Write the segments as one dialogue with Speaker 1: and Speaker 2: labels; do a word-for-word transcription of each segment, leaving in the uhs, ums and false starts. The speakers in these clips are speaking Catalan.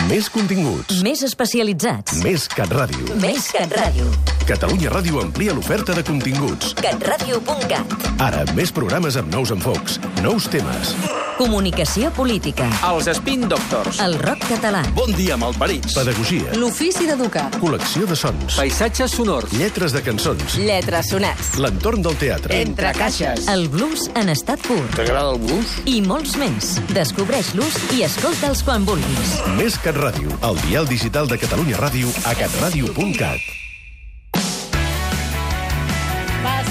Speaker 1: Més continguts.
Speaker 2: Més especialitzats.
Speaker 1: Més CatRàdio.
Speaker 2: Més CatRàdio.
Speaker 1: Catalunya Ràdio amplia l'oferta de continguts.
Speaker 2: catradio punt cat.
Speaker 1: Ara, més programes amb nous enfocs, nous temes.
Speaker 2: Comunicació política.
Speaker 3: Els Spin Doctors.
Speaker 2: El rock català.
Speaker 3: Bon dia, malparits.
Speaker 1: Pedagogia.
Speaker 2: L'ofici d'educar.
Speaker 1: Col·lecció de sons.
Speaker 3: Paisatges sonors.
Speaker 1: Lletres de cançons.
Speaker 2: Lletres sonats.
Speaker 1: L'entorn del teatre.
Speaker 2: Entre caixes. El blues en estat pur.
Speaker 3: T'agrada el blues?
Speaker 2: I molts més. Descobreix-los i escolta'ls quan vulguis.
Speaker 1: Més CatRàdio, el dial digital de Catalunya Ràdio a catradio punt cat.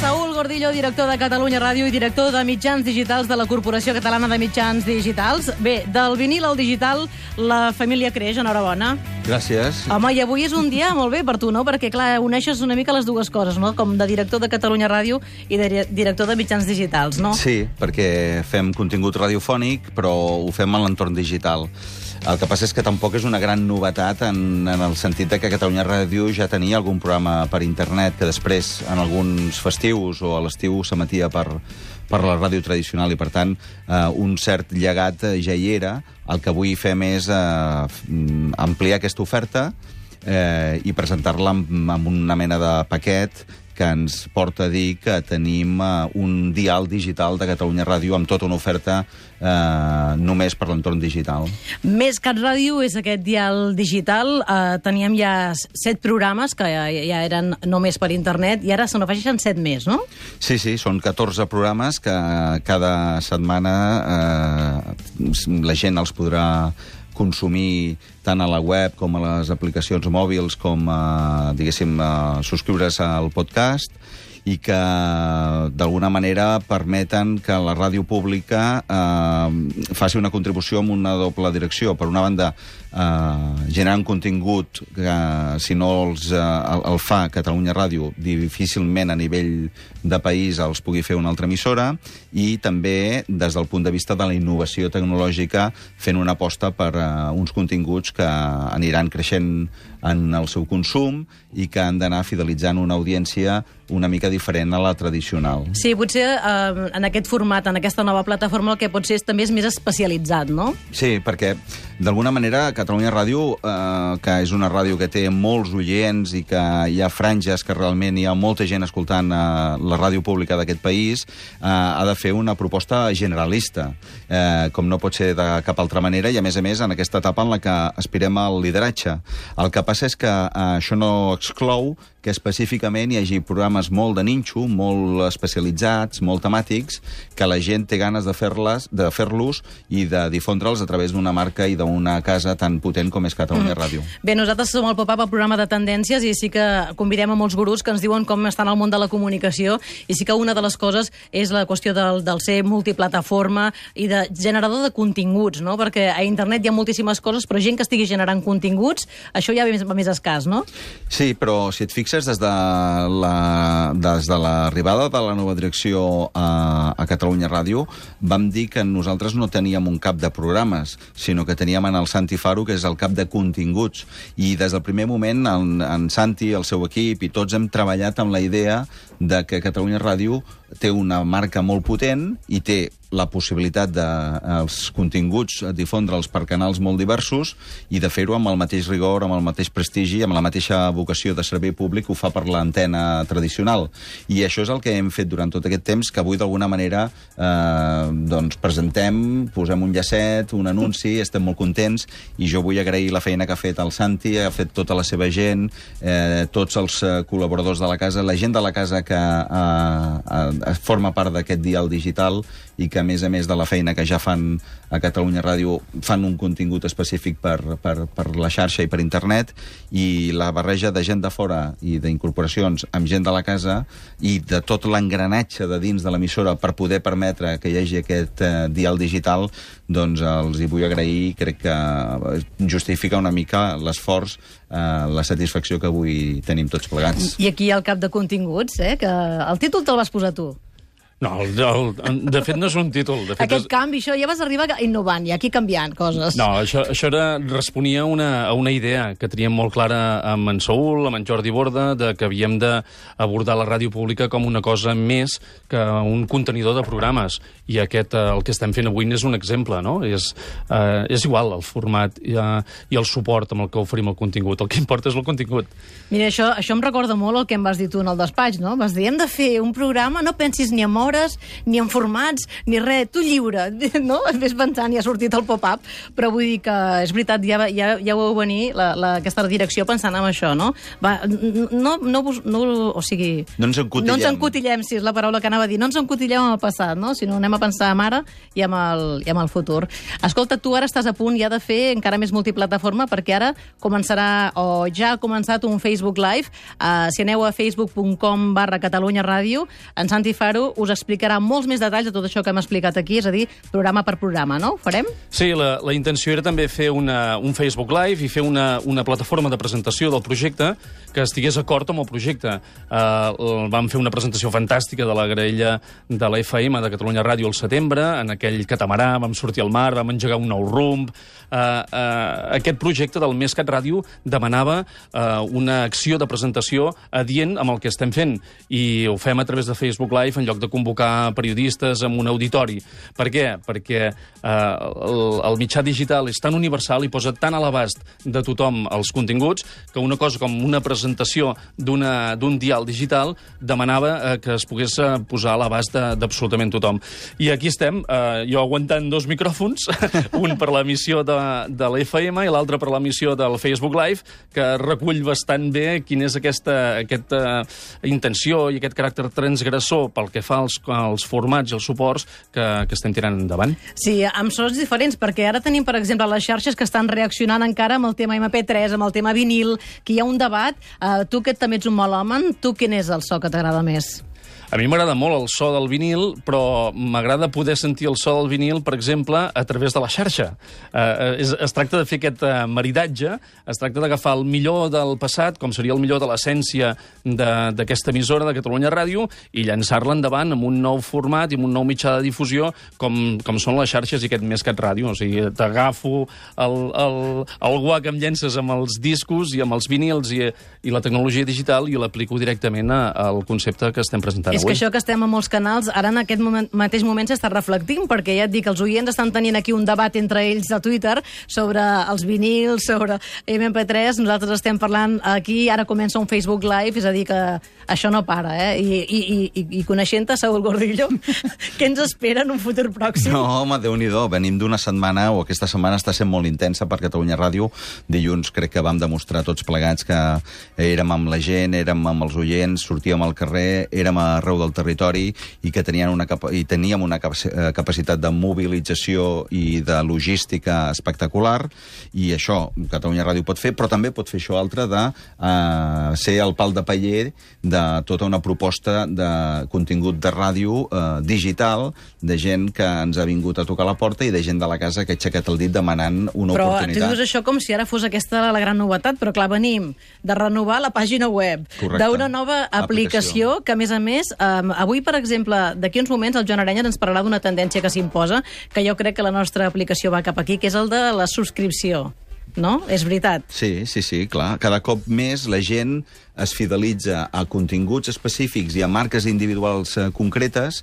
Speaker 4: Saúl Gordillo, director de Catalunya Ràdio i director de mitjans digitals de la Corporació Catalana de Mitjans Digitals. Bé, del vinil al digital, la família creix, enhorabona.
Speaker 5: Gràcies.
Speaker 4: Home, i avui és un dia molt bé per tu, no? Perquè, clar, uneixes una mica les dues coses, no? Com de director de Catalunya Ràdio i de director de mitjans digitals, no?
Speaker 5: Sí, perquè fem contingut radiofònic, però ho fem en l'entorn digital. El que passa és que tampoc és una gran novetat en, en el sentit de que Catalunya Ràdio ja tenia algun programa per internet que després, en alguns festius o a l'estiu, s'emetia per, per la ràdio tradicional i, per tant, eh, un cert llegat ja hi era. El que avui fem és eh, ampliar aquesta oferta eh, i presentar-la amb, amb una mena de paquet que ens porta a dir que tenim uh, un dial digital de Catalunya Ràdio amb tota una oferta uh, només per l'entorn digital.
Speaker 4: Més CatRàdio és aquest dial digital. Uh, teníem ja set programes que ja, ja eren només per internet i ara se n'afegeixen set més, no?
Speaker 5: Sí, sí, són catorze programes que cada setmana uh, la gent els podrà consumir tant a la web com a les aplicacions mòbils, com, eh, diguéssim, eh, subscriure's al podcast, i que d'alguna manera permeten que la ràdio pública eh, faci una contribució amb una doble direcció. Per una banda, eh, generant contingut que, si no els, eh, el, el fa Catalunya Ràdio, difícilment a nivell de país els pugui fer una altra emissora, i també des del punt de vista de la innovació tecnològica, fent una aposta per eh, uns continguts que aniran creixent en el seu consum i que han d'anar fidelitzant una audiència una mica diferent a la tradicional.
Speaker 4: Sí, potser eh, en aquest format, en aquesta nova plataforma, el que pot ser és, també és més especialitzat, no?
Speaker 5: Sí, perquè d'alguna manera Catalunya Ràdio, eh, que és una ràdio que té molts oients i que hi ha franges que realment hi ha molta gent escoltant eh, la ràdio pública d'aquest país, eh, ha de fer una proposta generalista, eh, com no pot ser de cap altra manera, i a més a més en aquesta etapa en la que aspirem al lideratge. El que passa és que eh, això no exclou que específicament hi hagi programes molt de ninxo, molt especialitzats, molt temàtics, que la gent té ganes de fer-les, de fer-los i de difondre'ls a través d'una marca i d'una casa tan potent com és Catalunya mm. Ràdio.
Speaker 4: Bé, nosaltres som el Pop-Up, el programa de tendències, i sí que convidem a molts gurus que ens diuen com estan al món de la comunicació, i sí que una de les coses és la qüestió del, del ser multiplataforma i de generador de continguts, no? Perquè a internet hi ha moltíssimes coses, però gent que estigui generant continguts, això ja va més, va més escàs, no?
Speaker 5: Sí, però si et fixes, des de la, des de l'arribada de la nova direcció a, a Catalunya Ràdio, vam dir que nosaltres no teníem un cap de programes, sinó que teníem en el Santi Faro, que és el cap de continguts. I des del primer moment, en, en Santi, el seu equip, i tots hem treballat amb la idea de que Catalunya Ràdio té una marca molt potent i té la possibilitat de els continguts difondre'ls per canals molt diversos i de fer-ho amb el mateix rigor, amb el mateix prestigi, amb la mateixa vocació de servei públic que ho fa per l'antena tradicional. I això és el que hem fet durant tot aquest temps, que avui d'alguna manera eh, doncs presentem, posem un llacet, un anunci, estem molt contents, i jo vull agrair la feina que ha fet el Santi, ha fet tota la seva gent, eh, tots els eh, col·laboradors de la casa, la gent de la casa que eh, eh, forma part d'aquest dial digital i que, a més a més de la feina que ja fan a Catalunya Ràdio, fan un contingut específic per, per, per la xarxa i per internet, i la barreja de gent de fora i d'incorporacions amb gent de la casa i de tot l'engranatge de dins de l'emissora per poder permetre que hi hagi aquest eh, dial digital, doncs els hi vull agrair. Crec que justifica una mica l'esforç, eh, la satisfacció que avui tenim tots plegats.
Speaker 4: I aquí al cap de continguts, eh, que el títol te'l vas posar tu.
Speaker 6: No, el, el, de fet no és un títol. De fet,
Speaker 4: Aquest
Speaker 6: és...
Speaker 4: canvi, això ja vas arribar innovant i aquí canviant coses.
Speaker 6: No, això, això era, responia a una, a una idea que teníem molt clara amb en Saúl, amb en Jordi Borda, de que havíem d'abordar la ràdio pública com una cosa més que un contenidor de programes. I aquest, el que estem fent avui n'és un exemple, no? És, eh, és igual el format i, eh, i el suport amb el que oferim el contingut. El que importa és el contingut.
Speaker 4: Mira, això, això em recorda molt el que em vas dir tu en el despatx, no? Vas dir, hem de fer un programa, no pensis ni en hores, ni en formats, ni res, tu lliure, no? Ves pensant, ja ha sortit el pop-up, però vull dir que és veritat, ja, ja, ja ho veu venir la, la, aquesta direcció pensant en això, no? Va, no, no, no, o sigui...
Speaker 5: No ens encotillem.
Speaker 4: No ens encotillem, sí, és la paraula que anava a dir. No ens encotillem en el passat, no? Sinó anem a pensar en ara i en el, i en el futur. Escolta, tu ara estàs a punt ja de fer encara més multiplataforma, perquè ara començarà, o ja ha començat un Facebook Live. Uh, si aneu a facebook punt com barra Catalunya Ràdio, en Santi Faro us explicarà molts més detalls de tot això que hem explicat aquí, és a dir, programa per programa, no? Ho farem?
Speaker 6: Sí, la, la intenció era també fer una, un Facebook Live i fer una, una plataforma de presentació del projecte que estigués acord amb el projecte. Uh, vam fer una presentació fantàstica de la graella de la F M de Catalunya Ràdio al setembre, en aquell catamarà, vam sortir al mar, vam engegar un nou rumb. Uh, uh, aquest projecte del Més Cat Ràdio demanava uh, una acció de presentació adient amb el que estem fent, i ho fem a través de Facebook Live en lloc de convocar periodistes en un auditori. Per què? Perquè uh, el, el mitjà digital és tan universal i posa tan a l'abast de tothom els continguts que una cosa com una presentació d'un dial digital demanava uh, que es pogués uh, posar a l'abast d'absolutament tothom. I aquí estem, uh, jo aguantant dos micròfons, un per l'emissió de, de l'F M i l'altre per l'emissió del Facebook Live, que recull bastant bé quina és aquesta, aquesta intenció i aquest caràcter transgressor pel que fa als, als formats i els suports que, que estem tirant endavant.
Speaker 4: Sí, amb sons diferents, perquè ara tenim, per exemple, les xarxes que estan reaccionant encara amb el tema eme pe tres, amb el tema vinil, que hi ha un debat. Uh, tu, que també ets un melòman, tu quin és el so que t'agrada més?
Speaker 6: A mi m'agrada molt el so del vinil, però m'agrada poder sentir el so del vinil, per exemple, a través de la xarxa. Eh, es, es tracta de fer aquest eh, maridatge, es tracta d'agafar el millor del passat, com seria el millor de l'essència d'aquesta emissora de Catalunya Ràdio, i llançar-la endavant amb un nou format i amb un nou mitjà de difusió, com, com són les xarxes i aquest Més Cat Ràdio. O sigui, t'agafo el, el, el guà que em llences amb els discos i amb els vinils i, i la tecnologia digital i l'aplico directament a, al concepte que estem presentant.
Speaker 4: És que això que estem a molts canals, ara en aquest moment, mateix moment s'està reflectint, perquè ja et dic, els oients estan tenint aquí un debat entre ells a Twitter sobre els vinils, sobre eme pe tres, nosaltres estem parlant aquí, ara comença un Facebook Live, és a dir que això no para, eh? I, i, i, i coneixent-te, Saúl Gordillo, què ens espera en un futur pròxim?
Speaker 5: No, home, Déu-n'hi-do, venim d'una setmana, o aquesta setmana està sent molt intensa per Catalunya Ràdio. Dilluns crec que vam demostrar tots plegats que érem amb la gent, érem amb els oients, sortíem al carrer, érem arreu del territori i que tenien una capa i teníem una capacitat de mobilització i de logística espectacular, i això Catalunya Ràdio pot fer, però també pot fer això altre de uh, ser el pal de paller de tota una proposta de contingut de ràdio uh, digital, de gent que ens ha vingut a tocar la porta i de gent de la casa que ha aixecat el dit demanant una
Speaker 4: però
Speaker 5: oportunitat.
Speaker 4: Però tu dius això com si ara fos aquesta la gran novetat, però clar, venim de renovar la pàgina web, d'una nova aplicació, aplicació que, a més a més, Um, avui, per exemple, d'aquí uns moments el Joan Arenyes ens parlarà d'una tendència que s'imposa, que jo crec que la nostra aplicació va cap aquí, que és el de la subscripció. No? És veritat.
Speaker 5: Sí, sí, sí, clar. Cada cop més la gent es fidelitza a continguts específics i a marques individuals eh, concretes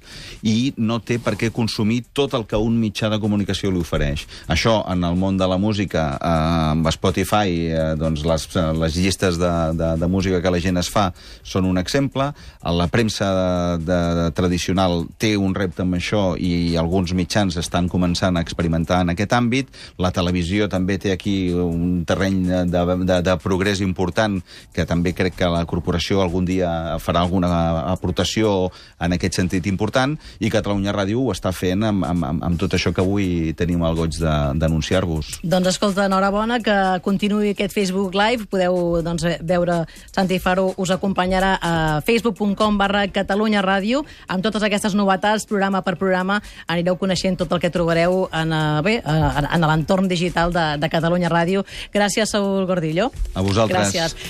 Speaker 5: i no té per què consumir tot el que un mitjà de comunicació li ofereix. Això, en el món de la música, eh, amb Spotify, eh, doncs les, les llistes de, de, de música que la gent es fa són un exemple. La premsa de, de, de tradicional té un repte amb això i alguns mitjans estan començant a experimentar en aquest àmbit. La televisió també té aquí un terreny de, de, de progrés important, que també crec que la corporació algun dia farà alguna aportació en aquest sentit important, i Catalunya Ràdio ho està fent amb, amb, amb tot això que avui tenim el goig d'anunciar-vos.
Speaker 4: Doncs escolta, enhorabona, que continuï aquest Facebook Live. Podeu doncs, veure, Santi Faro us acompanyarà a facebook punt com barra Catalunya Ràdio, amb totes aquestes novetats, programa per programa. Anireu coneixent tot el que trobareu en, bé, en l'entorn digital de, de Catalunya Ràdio. Gràcies, Saúl Gordillo.
Speaker 5: A vosaltres.
Speaker 4: Gràcies.